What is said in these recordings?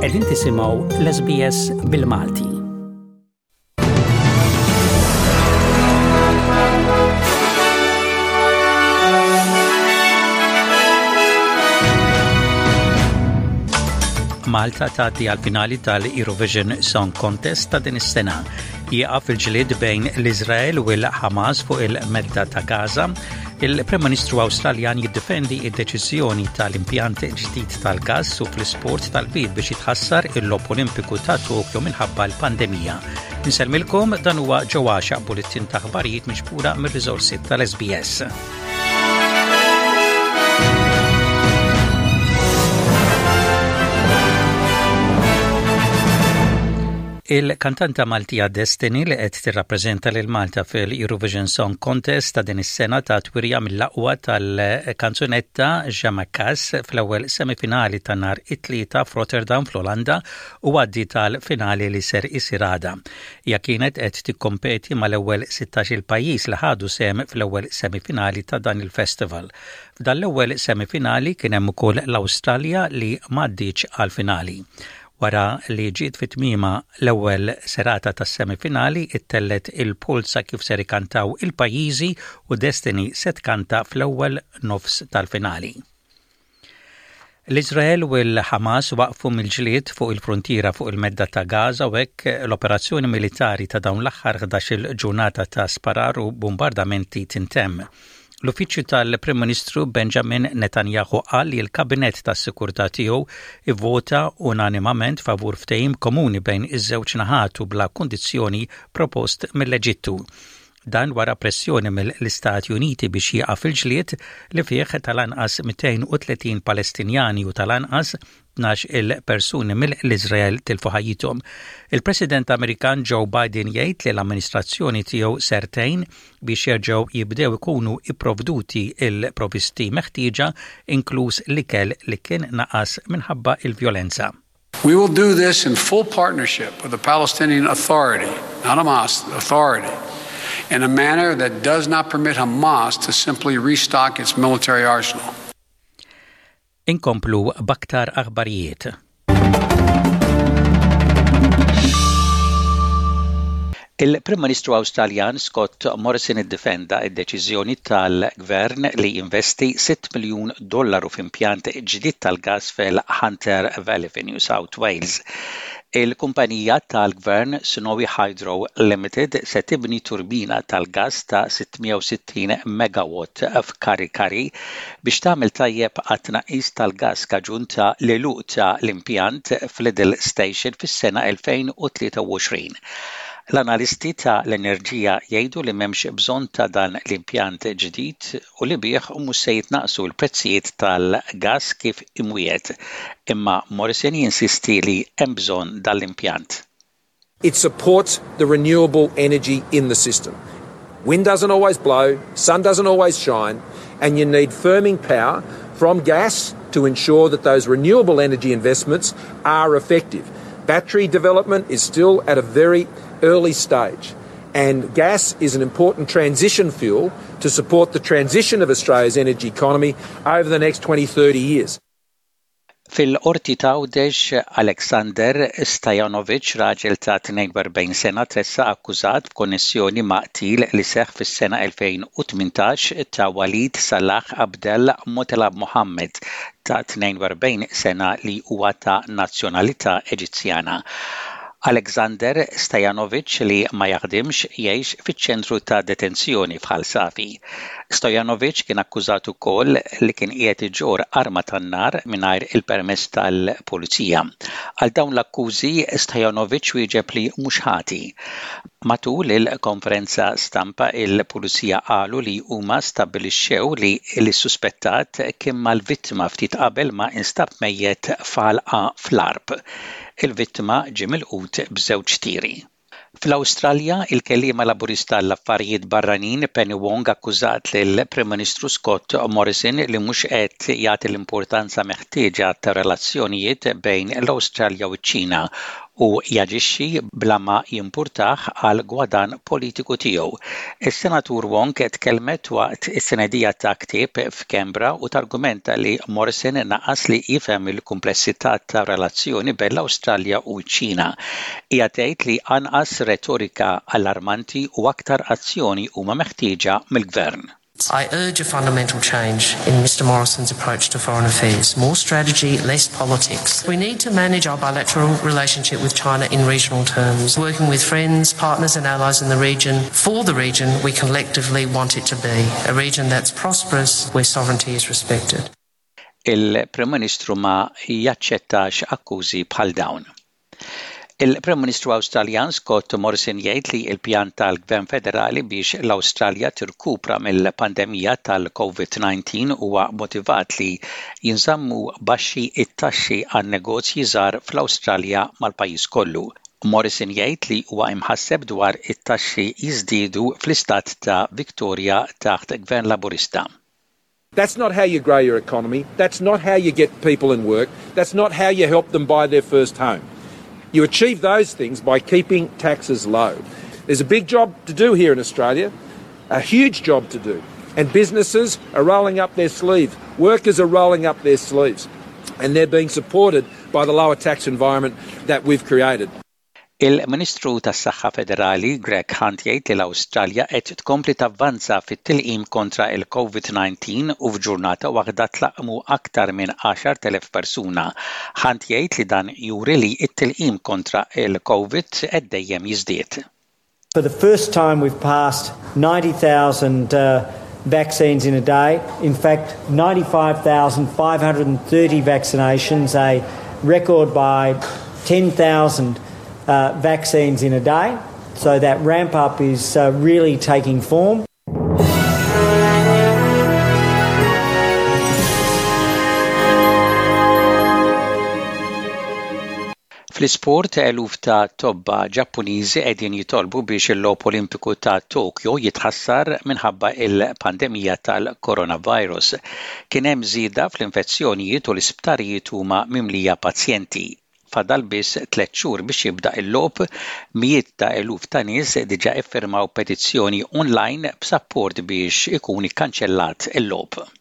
Qegħdin tisimgħu l-SBS bil-Malti. Malta tgħaddi għal finali tal-Eurovision Song Contest ta' din is-sena. Jieqaf il-ġlied bejn l-Iżrael u l-Ħamas fuq il-medda ta' Gaza. Il-Prim Ministru Awstraljan jiddefendi id-deċiżjoni tal-impjant ġdid tal-gass u fl-isport tal-bid biex jitħassar il-Logħob Olimpiku ta' Tokyo minħabba l-pandemija. Insellmilkom dan huwa ġewwa bulletin ta' aħbarijiet miġbura mir-riżorsi tal-SBS. Il-kantanta Maltija Destiny li qed tirrappreżenta lil Malta fil-Eurovision Song Contest ta' din is-sena tat wirja mill-aqwa tal-kanzunetta Jamakas fl-ewwel semifinali ta' nhar it-Tlieta f'Rotterdam fl-Olanda u għaddiet għall-finali li ser isir għada. Hija kienet qed tikkompeti mal-ewwel 16-il pajjiż li ħadu sehem fl-ewwel semifinali ta' dan il-festival. F'dan l-ewwel semifinali kien hemm ukoll l-Awstralja li m'għaddietx għall-finali. Wara li ġiet fi tmiemha l-ewwel serata tas-semifinali, ittellgħet il-polza kif ser ikantaw il-pajjiżi u Destiny se tkanta fl-ewwel nofs tal-finali. L-Iżrael u l-Ħamas waqfu mill-ġlied fuq il-fruntiera fuq il-Medda ta' Gaza u hekk l-operazzjoni militari ta' dawn l-aħħar 11-il ġurnata ta' sparar u bumbardamenti tintemm. L-Uffiċċju tal-Prim Ministru Benjamin Netanyahu qal li l-Kabinett tas-Sikurtà tiegħu ivvota unanimament favur ftehim komuni bejn iż-żewġ naħat u bla kundizzjoni propost mill-Eġittu. Dan wara pressjoni mill-Istati Uniti biex jieqaf il-ġlied li fih tal-anqas 230 Palestinjani u tal-anqas 12-il persuni mill-Iżrael tilfu ħajjithom. Il-President Amerikan Joe Biden jgħid li l-amministrazzjoni tiegħu ser tgħin biex jerġgħu jibdew ikunu ipprovduti il-provisti meħtieġa inkluż l-ikel li kien naqas minħabba il-vjolenza. We will do this in full partnership with the Palestinian Authority, not Hamas, Authority, in a manner that does not permit Hamas to simply restock its military arsenal. Inkomplu b'aktar aħbarijiet. Il-Prim Ministru Awstraljan Scott Morrison iddefenda d-deċiżjoni tal-Gvern li jinvesti 6 miljun dollaru f'impjant ġdid tal-gass fil-Hunter Valley fi New South Wales. Il-kumpanija tal-Gvern Snowy Hydro Limited se tibni turbina tal-gass ta' 660 megawatt f'Kurri Kurri biex tagħmel tajjeb għat-tnaqqis tal-gass kaġun ta' l-għeluq ta' l-impjant f'Liddell Station fis-sena 2023. L-analisti ta' l-enerġija jgħidu li m'hemmx bżonn ta' dan l-impjant ġdid u li bih mhux se jitnaqqsu l-prezzijiet tal-gass kif imwiegħed. Imma Morrison jinsisti li hemm bżonn dan l-impjant. It supports the renewable energy in the system. Wind doesn't always blow, sun doesn't always shine, and you need firming power from gas to ensure that those renewable energy investments are effective. Battery development is still at a very early stage, and gas is an important transition fuel to support the transition of Australia's energy economy over the next 20, 30 years. Fil-Qorti ta' Għawdex, Aleksander Stajanovic, raġel ta' 42 sena tressaq akkużat b'konnessjoni ma' qtil li seħħ fis-sena 2018 ta' Walid Salah Abdel Motelab Mohammed ta' 42 sena li huwa ta' nazzjonalità Eġizzjana. Aleksander Stajanovic li ma jaħdimx jgħix fiċ-ċentru ta' detenzjoni f'Ħal Safi. Stojanovic kien akkużat ukoll li kien qiegħed iġorr arma tan-nar mingħajr il-permess tal-pulizija. Għal dawn l-akkużi, Stojanovic wieġeb li mhux ħati. Matul il-konferenza stampa il-pulizija qalu li huma stabbilixxew li l-suspettat kien mal-vittma ftit qabel ma instab mejjet f'għalqa fl-Għarb. Il-vittma ġie milqut b'żewġ tiri. Fl-Awstralja, il-kelliema Laburista għall-Affarijiet Barranin Penny Wong akkużat lill-Prim Ministru Scott Morrison li mhux qed jagħti l-importanza meħtieġa tar-relazzjonijiet bejn l-Awstralja u ċ-Ċina. u jaġixxi bla ma jimpurtah għall-gwadann politiku tiegħu. Is-Senatur Wong tkellmet waqt it-tnedija ta' ktieb f'Canberra u targumenta li Morrison naqas li jifhem il-kumplessità tar-relazzjoni bejn l-Awstralja u ċ-Ċina. Hija tgħid li anqas retorika allarmanti u aktar azzjoni huma meħtieġa mill-Gvern. I urge a fundamental change in Mr Morrison's approach to foreign affairs. More strategy, less politics. We need to manage our bilateral relationship with China in regional terms, working with friends, partners and allies in the region for the region we collectively want it to be, a region that's prosperous where sovereignty is respected. Il-Prim Ministru ma jaċċettax akkużi bħal dawn. Il-Prim Ministru Awstraljan Scott Morrison jgħid li l-pjan tal-Gvern Federali biex l-Awstralja tirkupra mill-pandemija tal-COVID-19 huwa motivat li jinżammu baxxi t-taxxi għan-negozji żgħar fl-Awstralja mal-pajjiż kollu. Morrison jgħid li huwa imħasseb dwar it-taxxi jiżdiedu fl-istat ta' Victoria taħt Gvern Laburista. That's not how you grow your economy. That's not how you get people in work. That's not how you help them buy their first home. You achieve those things by keeping taxes low. There's a big job to do here in Australia, a huge job to do. And businesses are rolling up their sleeves. Workers are rolling up their sleeves. And they're being supported by the lower tax environment that we've created. Il-Ministru tas-Saħħa Federali Greg Hunt jgħid li l-Awstralja qed tkompli tavvanza fit-tilqim kontra l-COVID-19 u f'ġurnata waħda tlaqqmu aktar minn 10,000 persuna. Hunt jgħid li dan juri li t-tilqim kontra l-COVID qed dejjem jiżdied. For the first time we've passed 90,000 vaccines in a day. In fact, 95,530 vaccinations, a record by 10,000 uh, vaccines in a day. So that ramp up is uh, really taking form. Fl-isport, eluf ta' tobba Ġappuniżi qegħdin jitolbu biex il-Logħob Olimpiku ta' Tokyo jitħassar minħabba l-pandemija tal-coronavirus. Kien hemm żieda fl-infezzjonijiet u l-isptarijiet huma mimlija pazjenti. Fadal biss tlett xhur biex jibda l-logħob, mijiet ta' eluf ta' nies diġà iffirmaw petizzjoni online b'sapport biex ikun ikkanċellat il-logħob.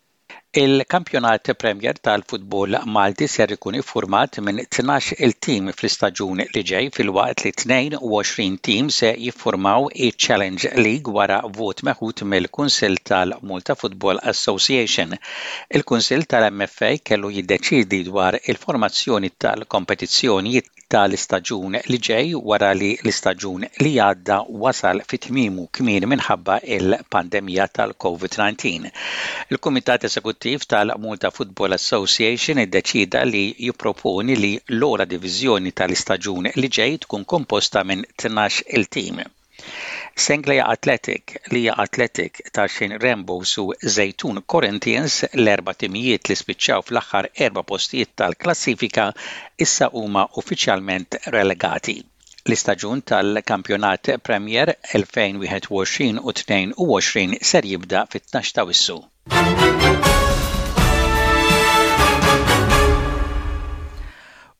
Il-Kampjonat Premier tal-futbol Malti ser ikun iffurmat minn 12-il tim fl-istaġun li ġej filwaqt li 22 tim se jiffurmaw iċ-Challenge League wara vot meħud mill-Kunsill tal-Malta Football Association. Il-Kunsill tal-MFA kellu jiddeċiedi dwar il-formazzjoni tal-kompetizzjoni tal-istaġun li ġej wara li l-istaġun li għadda wasal fi tmiemu kmieni minħabba l-pandemija tal-COVID-19. Il-Kumitat Eżekuttiv tal-Malta Football Association iddeċieda li jipproponi li l-ogħla diviżjoni tal-istaġun li ġej tkun komposta minn 12-il tim. Senglea Athletic, Lija Athletic, Tarxien Rainbows u Żejtun Corinthians, l-erba' timijiet li spiċċaw fl-aħħar erba' postijiet tal-klassifika, issa huma uffiċjalment relegati. L-istaġun tal-Kampjonat Premier 2021 u 22 ser jibda fit-tnax t'Awwissu.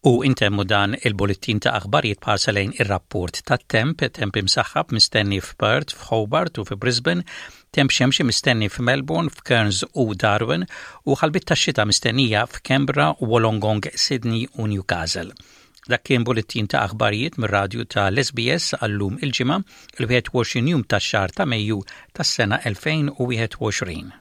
U intemmu dan il-bullettin ta' aħbarijiet b'ħarsa lejn ir-rapport tat-temp, temp imsaħħab mistenni f'Perth, f'Hobart u fi Brisbane, temp xemxi mistenni f'Melbourne, f'Cairns u Darwin, u ħalbiet tax-xita mistennija f'Canberra, Wollongong, Sydney u Newcastle. Dak kien bullettin ta' aħbarijiet mir-radju ta' l-SBS għal-lum il-Ġimgħa, il-21 jum tax-xahar ta' Mejju tas-sena 2021.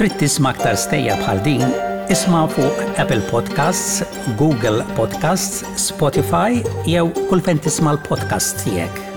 Trid tisma' aktar stejjer bħal din? Isma' fuq Apple Podcasts, Google Podcasts, Spotify jew kull fejn tisma' l-podcasts tiegħek.